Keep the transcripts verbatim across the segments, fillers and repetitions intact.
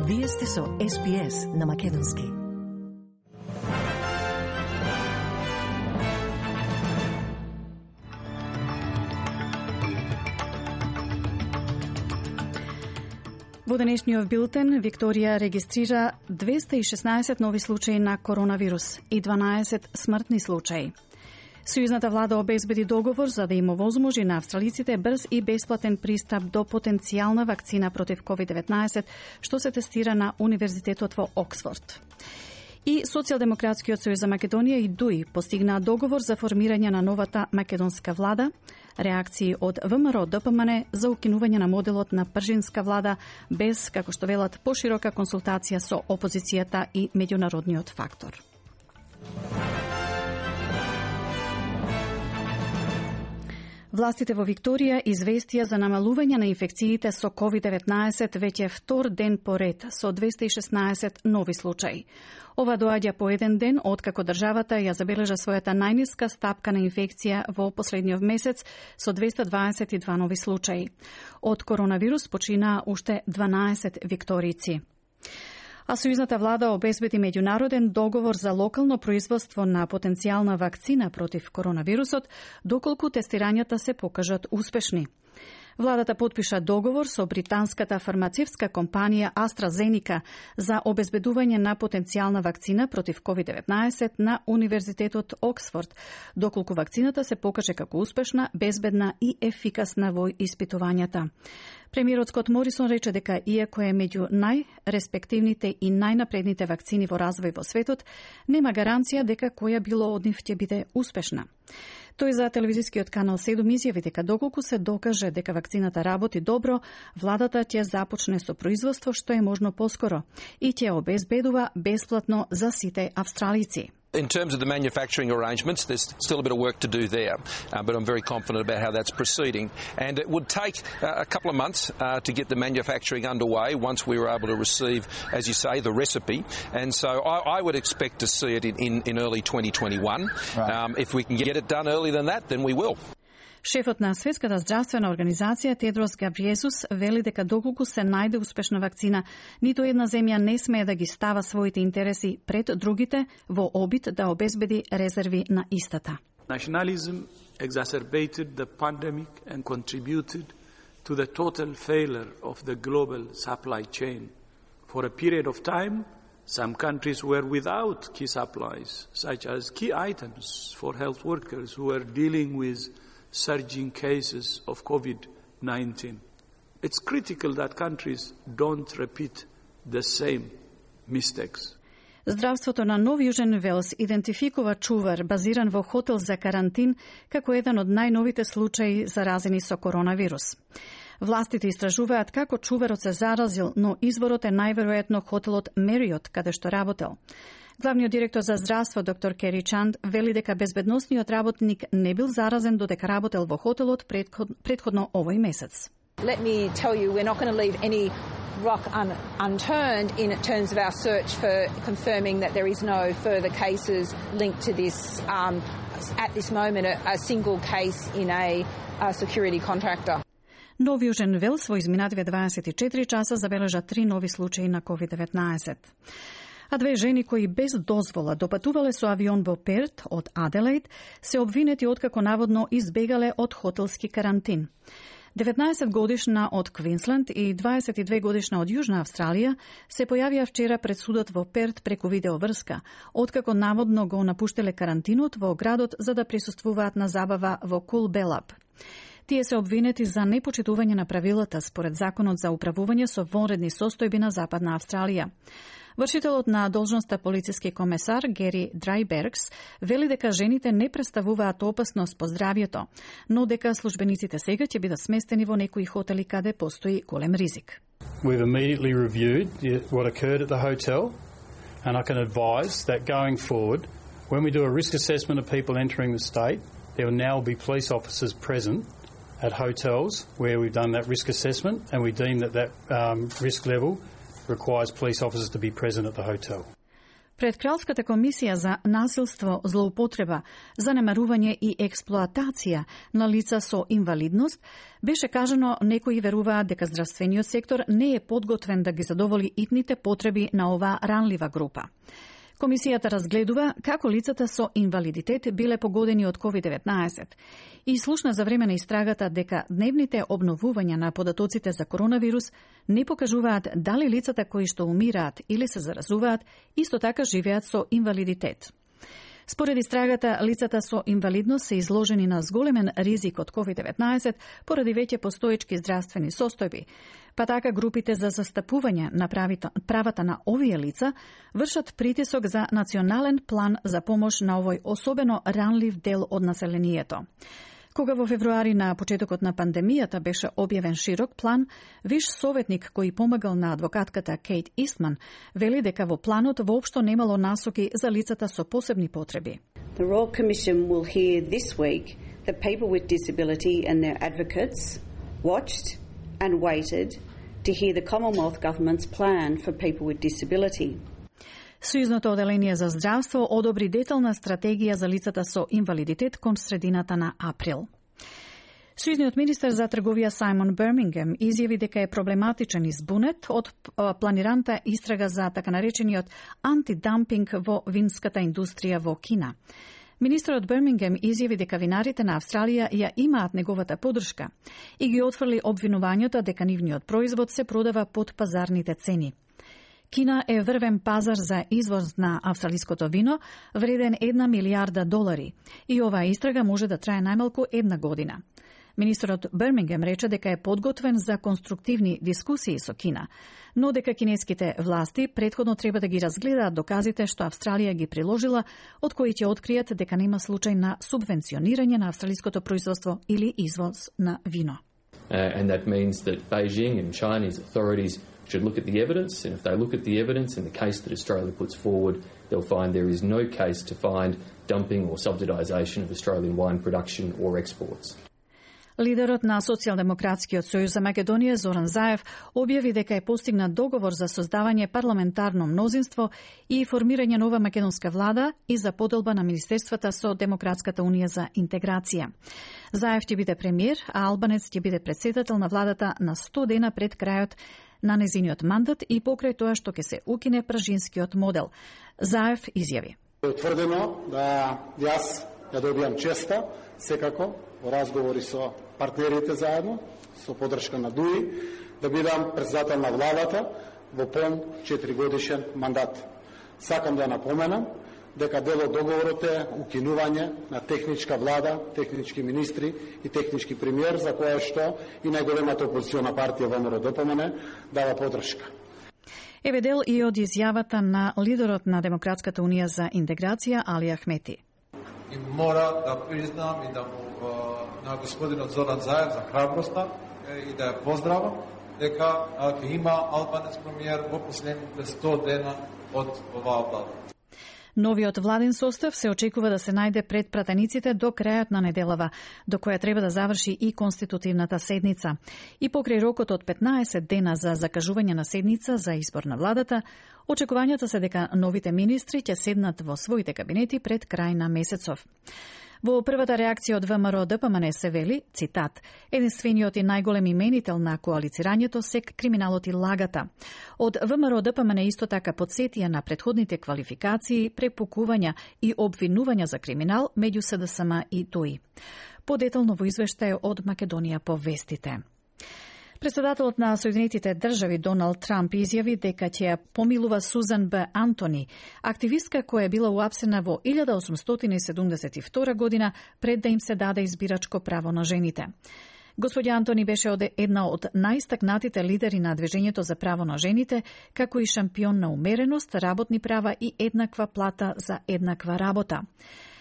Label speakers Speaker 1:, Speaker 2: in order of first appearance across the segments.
Speaker 1: Вие сте со Ес Би Ес на Македонски. Во денешниот билтен Викторија регистрира двеста и шеснаесет нови случаи на коронавирус и дванаесет смртни случаи. Сојузната влада обезбеди договор за да им овозможи на австралиците брз и бесплатен пристап до потенцијална вакцина против ковид деветнаесет, што се тестира на Универзитетот во Оксфорд. И Социјалдемократскиот сојуз за Македонија и ДУИ постигнаа договор за формирање на новата македонска влада, реакции од ВМРО Д П М Н за укинување на моделот на пржинска влада без, како што велат, поширока консултација со опозицијата и меѓународниот фактор. Властите во Викторија известија за намалување на инфекциите со ковид деветнаесет веќе втор ден поред со двеста и шеснаесет нови случаи. Ова доаѓа по еден ден откако државата ја забележа својата најниска стапка на инфекција во последниот месец со двеста дваесет и два нови случаи. Од коронавирус починаа уште дванаесет викторици. А сојузната влада обезбеди меѓународен договор за локално производство на потенцијална вакцина против коронавирусот, доколку тестирањата се покажат успешни. Владата потпиша договор со британската фармацевтска компанија AstraZeneca за обезбедување на потенцијална вакцина против ковид деветнаесет на Универзитетот Оксфорд, доколку вакцината се покаже како успешна, безбедна и ефикасна во испитувањата. Премиерот Скот Морисон рече дека иако е меѓу најреспективните и најнапредните вакцини во развој во светот, нема гаранција дека која било од нив ќе биде успешна. Тој за телевизискиот канал седум изјави дека доколку се докаже дека вакцината работи добро, владата ќе започне со производство што е можно поскоро и ќе обезбедува бесплатно за сите австралици.
Speaker 2: In terms of the manufacturing arrangements, there's still a bit of work to do there, uh, but I'm very confident about how that's proceeding. And it would take uh, a couple of months uh, to get the manufacturing underway once we were able to receive, as you say, the recipe. And so I, I would expect to see it in, in, in early twenty twenty-one. Right. Um, if we can get it done earlier than that, then we will.
Speaker 1: Шефот на Светската здравствена организација Тедрос Габриесус вели дека доколку се најде успешна вакцина, ниту една земја не смее да ги става своите интереси пред другите во обид да обезбеди резерви на истата.
Speaker 3: Nationalism exacerbated the pandemic and contributed to the total failure of the global supply chain. For a period of time, some countries were without key supplies, such as key items for health workers who were dealing with surging cases of COVID nineteen. It's critical that countries don't repeat the same mistakes.
Speaker 1: Здравството на Нов Јужен Велс идентификува чувар базиран во хотел за карантин како еден од најновите случаи заразени со коронавирус. Властите истражуваат како чуварот се заразил, но изворот е најверојатно хотелот Мериот, каде што работел. Главниот директор за здравство, доктор Кери Чанд, вели дека безбедносниот работник не бил заразен додека работел во хотелот претходно овој месец.
Speaker 4: Let me tell you, we're not going to leave any rock un unturned in terms of our search for confirming that there is no further cases linked to this. Um, at this moment, a, a single case in a, a security contractor.
Speaker 1: Нов Јужен Велс во изминативе дваесет и четири часа забележа три нови случаи на ковид деветнаесет. А две жени кои без дозвола допатувале со авион во Перт од Аделаид се обвинети откако наводно избегале од хотелски карантин. деветнаесет годишна од Квинсленд и дваесет и две годишна од Јужна Австралија се појавија вчера пред судот во Перт преку видеоврска, откако наводно го напуштеле карантинот во градот за да присуствуваат на забава во Кулбелап. Тие се обвинети за непочитување на правилата според Законот за управување со вонредни состојби на Западна Австралија. Вршителот на должноста полициски комесар Гери Драйбергс вели дека жените не представуваат опасност по здравјето, но дека службениците сега ќе бидат сместени во некои хотели каде постои голем ризик.
Speaker 5: We've immediately reviewed what occurred at the hotel, and I can advise that going forward, when we do a risk assessment of people entering the state, there will now be police officers present at hotels where we've done that risk assessment, and we deem that that um, risk level requires police officers to be present at the hotel.
Speaker 1: Пред Кралската комисија за насилство, злоупотреба, занемарување и експлоатација на лица со инвалидност, беше кажано некои веруваат дека здравствениот сектор не е подготвен да ги задоволи итните потреби на оваа ранлива група. Комисијата разгледува како лицата со инвалидитет биле погодени од ковид деветнаесет и слушна за време на истрагата дека дневните обновувања на податоците за коронавирус не покажуваат дали лицата кои што умираат или се заразуваат исто така живеат со инвалидитет. Според истрагата, лицата со инвалидност се изложени на зголемен ризик од ковид деветнаесет поради веќе постоечки здравствени состојби, па така групите за застапување на правата на овие лица вршат притисок за национален план за помош на овој особено ранлив дел од населението. Кога во февруари на почетокот на пандемијата беше објавен широк план, виш советник кој помагал на адвокатката Кейт Истман вели дека во планот воопшто немало насоки за лицата со посебни потреби.
Speaker 6: The Royal Commission will hear this week that people with disability and their advocates watched and waited to hear the Commonwealth Government's plan for people with disability.
Speaker 1: Сојузното оделение за здравство одобри детална стратегија за лицата со инвалидитет кон средината на април. Сојузниот министер за трговија Сајмон Бермингем изјави дека е проблематичен и збунет од планираната истрага за така наречениот антидампинг во винската индустрија во Кина. Министерот Бермингем изјави дека винарите на Австралија ја имаат неговата поддршка и ги отфрли обвинувањето дека нивниот производ се продава под пазарните цени. Кина е врвен пазар за извоз на австралиското вино, вреден една милијарда долари, и оваа истрага може да трае најмалку една година. Министерот Бермингем рече дека е подготвен за конструктивни дискусии со Кина, но дека кинеските власти претходно треба да ги разгледаат доказите што Австралија ги приложила, од кои ќе откријат дека нема случај на субвенционирање на австралиското производство или извоз на вино.
Speaker 7: Uh, and that means that Beijing and Chinese authorities should look at the evidence, and if they look at the evidence in the case that Australia puts forward, they'll find there is no case to find dumping or subsidisation of Australian wine production or exports.
Speaker 1: Лидерот на Социјалдемократскиот сојуз за Македонија Зоран Заев објави дека е постигнат договор за создавање парламентарно мнозинство и формирање нова македонска влада и за поделба на министерствата со Демократската унија за интеграција. Заев ќе биде премиер, а Албанец ќе биде председател на владата на сто дена пред крајот на незиниот мандат и покрај тоа што ќе се укине пражинскиот модел. Заев изјави:
Speaker 8: Е утврдено да јас ја добијам честа, секако, во разговори со партнерите заедно, со поддршка на ДУИ, да бидам председател на владата во пон четиригодишен мандат. Сакам да напоменам дека дел од договорот е укинување на техничка влада, технички министри и технички премиер, за кое што и најголемата опозициона партија ВМРО ДПМН дава поддршка.
Speaker 1: Еве дел и од изјавата на лидерот на Демократската унија за интеграција Али Ахмети.
Speaker 9: И мора да признам и да му на господинот Зоран Заев за храброста и да ја поздравам дека ќе има албанец премиер во последните сто дена од оваа влада.
Speaker 1: Новиот владен состав се очекува да се најде пред пратениците до крајот на неделава, до која треба да заврши и конститутивната седница. И покрај рокот од петнаесет дена за закажување на седница за избор на владата, очекувањата се дека новите министри ќе седнат во своите кабинети пред крај на месецов. Во првата реакција од ВМРО ДПМН се вели, цитат, единствениот и најголем именител на коалицирањето се криминалот и лагата. Од ВМРО ДПМН исто така подсетија на претходните квалификации, препукувања и обвинувања за криминал меѓу СДСМ и ДОИ. Подетално во извештај од Македонија по вестите. Председателот на Соединетите држави Доналд Трамп изјави дека ќе ја помилува Сузан Б. Антони, активистка која е била уапсена во илјада осумстотини седумдесет и втора година пред да им се даде избирачко право на жените. Господја Антони беше од една од најстакнатите лидери на движењето за право на жените, како и шампион на умереност, работни права и еднаква плата за еднаква работа.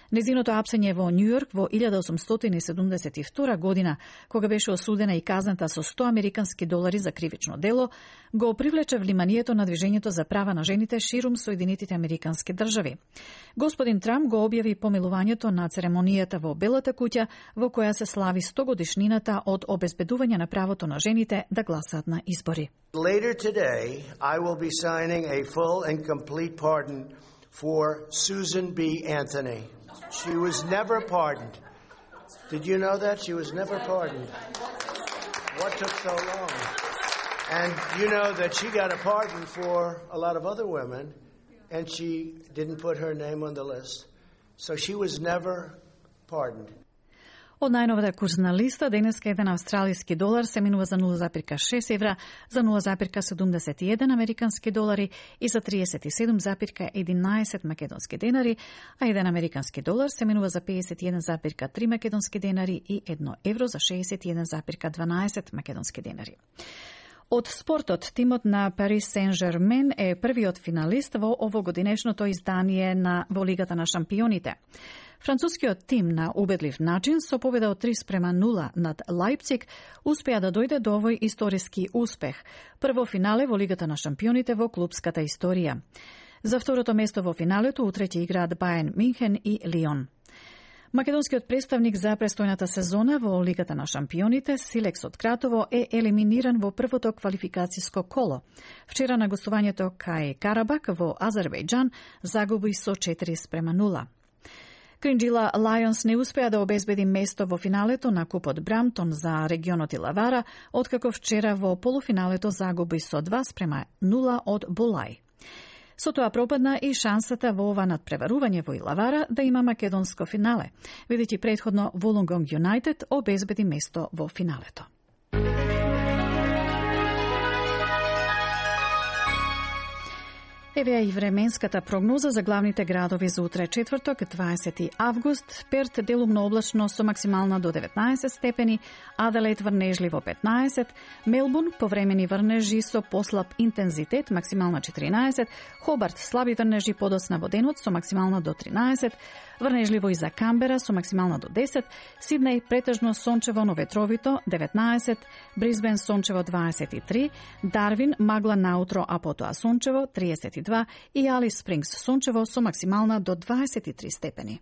Speaker 1: Незиното апсење во Њујорк во илјада осумстотини седумдесет и втора година, кога беше осудена и казната со сто американски долари за кривично дело, го привлече вниманието на движењето за права на жените ширум Соединетите американски држави. Господин Трамп го објави помилувањето на церемонијата во Белата куќа, во која се слави сто годишнината од обезбедување на правото на жените да гласаат на избори.
Speaker 10: Later today, I will be signing a full and complete pardon for Susan B. Anthony. She was never pardoned. Did you know that? She was never pardoned. What took so long? And you know that she got a pardon for a lot of other women, and she didn't put her name on the list. So she was never pardoned.
Speaker 1: Од најновата курсна листа, денеска еден австралиски долар се минува за нула запирка шест евра, за нула запирка седумдесет и еден американски долари и за триесет и седум запирка единаесет македонски денари, а еден американски долар се минува за педесет и еден запирка три македонски денари и едно евро за шеесет и еден запирка дванаесет македонски денари. Од спортот, тимот на Парис Сен-Жермен е првиот финалист во овогодинешното издание на во Лигата на шампионите. Францускиот тим на убедлив начин со победа од три спрема нула над Лајпциг успеа да дојде до овој историски успех. Прво финале во Лигата на шампионите во клубската историја. За второто место во финалето утре ќе играат Бајерн Минхен и Лион. Македонскиот представник за престојната сезона во Лигата на шампионите, Силекс од Кратово, е елиминиран во првото квалификациско коло. Вчера на гостувањето кај Карабак во Азербејџан загуби со четири спрема нула. Кринџила Лајонс не успеа да обезбеди место во финалето на Купот Брамтон за регионот Илавара, откако вчера во полуфиналето загуби со два спрема нула од Булај. Со тоа пропадна и шансата во ова надпреварување во Илавара да има македонско финале, бидејќи претходно Вулонгонг Юнајтед обезбеди место во финалето. Еве и временската прогноза за главните градови за утре четврток, дваесети август. Перт делумно облачно со максимална до деветнаесет степени, Аделаид врнежливо петнаесет, Мелбурн повремени врнежи со послаб интензитет, максимална четиринаесет, Хобарт слаби врнежи подоцна во денот со максимална до тринаесет, врнежливо и за Камбера со максимална до десет, Сиднеј претежно сончево, но ветровито деветнаесет, Брисбен сончево дваесет и три, Дарвин магла наутро, а потоа сончево триесет и два и Алис Спрингс сончево со максимална до дваесет и три степени.